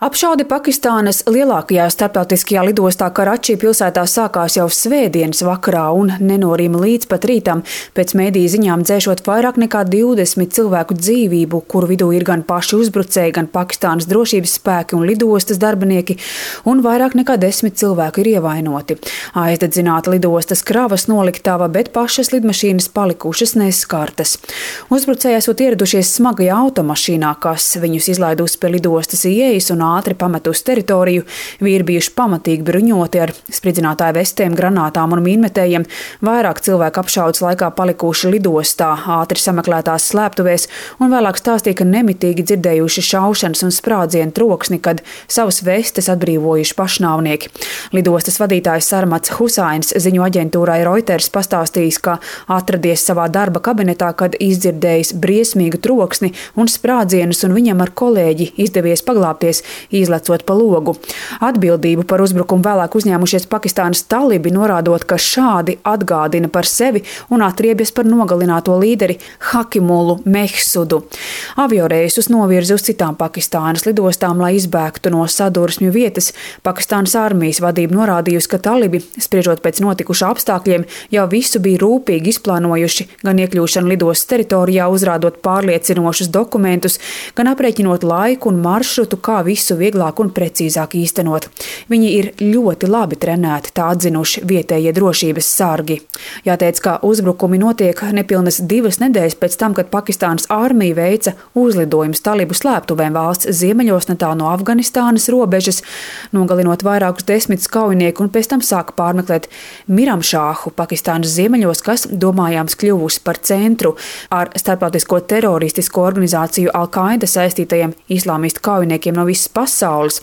Apšaude Pakistānas lielākajā starptautiskajā lidostā Karačī pilsētā sākās jau svētdienas vakarā un nenorima līdz pat rītam, pēc mediju ziņām dzēšot vairāk nekā 20 cilvēku dzīvību, kuru vidū ir gan paši uzbrucēji, gan Pakistānas drošības spēki un lidostas darbinieki, un vairāk nekā 10 cilvēku ir ievainoti. Aizdedzināta lidostas kravas noliktava, bet pašas lidmašīnas palikušas neskartas. Uzbrucēji esot ieradušies smagajā automašīnā, kas viņus izlaidusi pie lidostas ieejas un ātri pametusi teritoriju. Vīri bijuši pamatīgi bruņoti ar spridzinātāju vestēm, granātām un mīnmetējiem. Vairāk cilvēku apšaudes laikā palikuši lidostā, ātri sameklētās slēptuvēs un vēlāk stāstīja, ka nemitīgi dzirdējuši šaušanas un sprādzienu troksni, kad savas vestes atbrīvojuši pašnāvnieki. Lidostas vadītājs Sarmats Husains ziņu aģentūrai Reuters pastāstījis, ka atradies savā darba kabinetā, kad izdzirdējis briesmīgu troksni un sprādzienus, un viņam ar kolēģi izdevies paglābties, izlecot pa logu. Atbildību par uzbrukumu vēlāk uzņēmušies Pakistānas talibi, norādot, ka šādi atgādina par sevi un atriebjas par nogalināto līderi Hakimulu Mehsudu. Avioreisus novirza uz citām Pakistānas lidostām, lai izbēgtu no sadursmju vietas. Pakistānas armijas vadība norādījusi, ka talibi, spriežot pēc notikušā apstākļiem, jau visu bija rūpīgi izplānojuši, gan iekļūšanu lidostas teritorijā, uzrādot pārliecinošus dokumentus, gan aprēķinot laiku un maršrutu, kā visu vieglāk un precīzāk īstenot. Viņi ir ļoti labi trenēti, tā atzinuši vietējie drošības sargi. Jāteic, ka uzbrukumi notiek nepilnas 2 nedēļas pēc tam, kad Pakistānas armija veica uzlidojumus talibu slēptuvēm valsts ziemeļos netālu no Afganistānas robežas, nogalinot vairākus 10 kaujinieku, un pēc tam sāka pārmeklēt Miramšāhu Pakistānas ziemeļos, kas domājams kļuvusi par centru ar starptautisko teroristisko organizāciju Al-Qaida saistītajiem islāmistu kaujiniekiem no visas pasaules.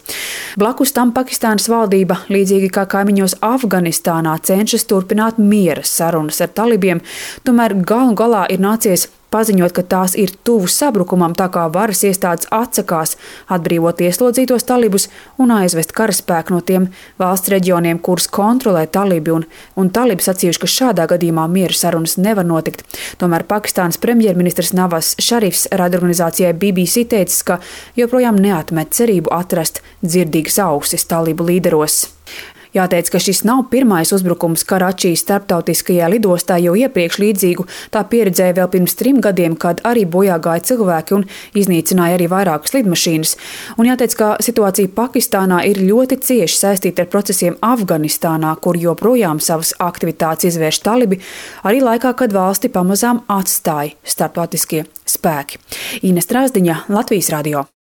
Blakus tam Pakistānas valdība, līdzīgi kā kaimiņos Afganistānā, cenšas turpināt miera sarunas ar talibiem, tomēr galu galā ir nācies paziņot, ka tās ir tuvu sabrukumam, tā kā varas iestādes atsakās atbrīvot ieslodzītos talibus un aizvest karaspēku no tiem valsts reģioniem, kurus kontrolē talibi, un talibi sacījuši, ka šādā gadījumā miera sarunas nevar notikt. Tomēr Pakistānas premjerministrs Nawaz Sharifs raidorganizācijai BBC teicis, ka joprojām neatmet cerību atrast dzirdīgas ausis talibu līderos. Jāteic, ka šis nav pirmais uzbrukums Karačijas starptautiskajā lidostā, jo iepriekš līdzīgu tā pieredzēja vēl pirms 3 gadiem, kad arī bojā gāja cilvēki un iznīcināja arī vairākas lidmašīnas. Un jāteic, ka situācija Pakistānā ir ļoti cieši saistīta ar procesiem Afganistānā, kur joprojām savas aktivitātes izvērš talibi, arī laikā, kad valsti pamazām atstāja starptautiskie spēki. Ines Trāzdiņa, Latvijas radio.